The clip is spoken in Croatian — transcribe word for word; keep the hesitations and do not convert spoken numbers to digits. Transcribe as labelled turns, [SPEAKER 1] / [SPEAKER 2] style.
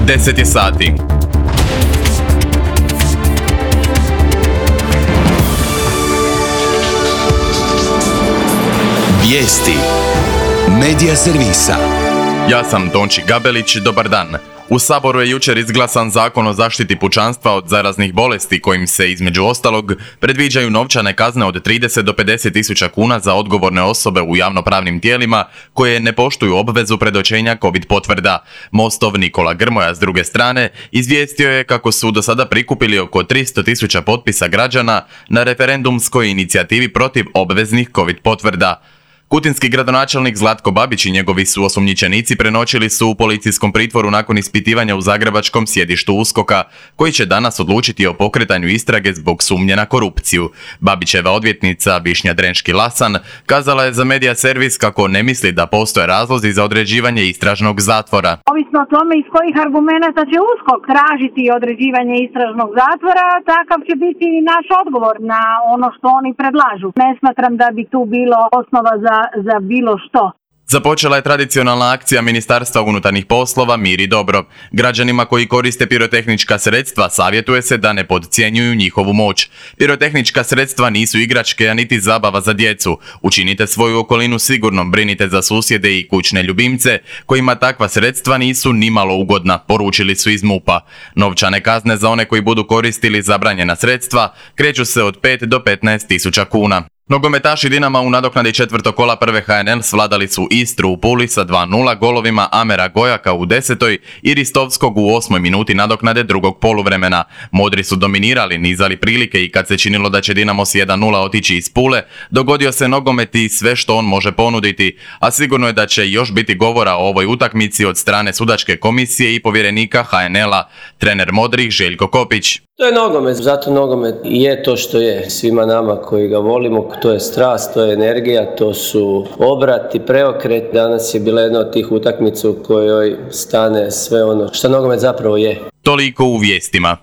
[SPEAKER 1] deset je sati.
[SPEAKER 2] Vijesti Medija servisa.
[SPEAKER 1] Ja sam Tonči Gabelić, dobar dan. U Saboru je jučer izglasan Zakon o zaštiti pučanstva od zaraznih bolesti kojim se, između ostalog, predviđaju novčane kazne od trideset do pedeset tisuća kuna za odgovorne osobe u javnopravnim tijelima koje ne poštuju obvezu predočenja COVID potvrda. Mostov Nikola Grmoja, s druge strane, izvijestio je kako su do sada prikupili oko tristo tisuća potpisa građana na referendumskoj inicijativi protiv obveznih COVID potvrda. Kutinski gradonačelnik Zlatko Babić i njegovi su osumnjičenici prenoćili su u policijskom pritvoru nakon ispitivanja u zagrebačkom sjedištu USKOK-a, koji će danas odlučiti o pokretanju istrage zbog sumnje na korupciju. Babićeva odvjetnica Višnja Drenški-Lasan kazala je za Medija servis kako ne misli da postoje razlozi za određivanje istražnog zatvora.
[SPEAKER 3] Ovisno o tome iz kojih argumenata će USKOK tražiti određivanje istražnog zatvora, takav će biti i naš odgovor na ono što oni predlažu. Ne smatram da bi tu bilo osnova za za bilo što.
[SPEAKER 1] Započela je tradicionalna akcija Ministarstva unutarnjih poslova Mir i dobro. Građanima koji koriste pirotehnička sredstva savjetuje se da ne podcjenjuju njihovu moć. Pirotehnička sredstva nisu igračke, a niti zabava za djecu. Učinite svoju okolinu sigurnom, brinite za susjede i kućne ljubimce kojima takva sredstva nisu nimalo ugodna, poručili su iz MUP-a. Novčane kazne za one koji budu koristili zabranjena sredstva kreću se od pet do petnaest tisuća kuna. Nogometaši Dinama u nadoknadi četvrtog kola prve H N L svladali su Istru u Puli sa dva nula golovima Amera Gojaka u desetoj i Ristovskog u osmoj minuti nadoknade drugog poluvremena. Modri su dominirali, nizali prilike i kad se činilo da će Dinamo s jedan nula otići iz Pule, dogodio se nogomet i sve što on može ponuditi, a sigurno je da će još biti govora o ovoj utakmici od strane sudačke komisije i povjerenika H N L-a, trener Modrih Željko Kopić.
[SPEAKER 4] To je nogomet, zato nogomet je to što je svima nama koji ga volimo, to je strast, to je energija, to su obrat i preokret. Danas je bila jedna od tih utakmica u kojoj stane sve ono što nogomet zapravo je.
[SPEAKER 1] Toliko u vijestima.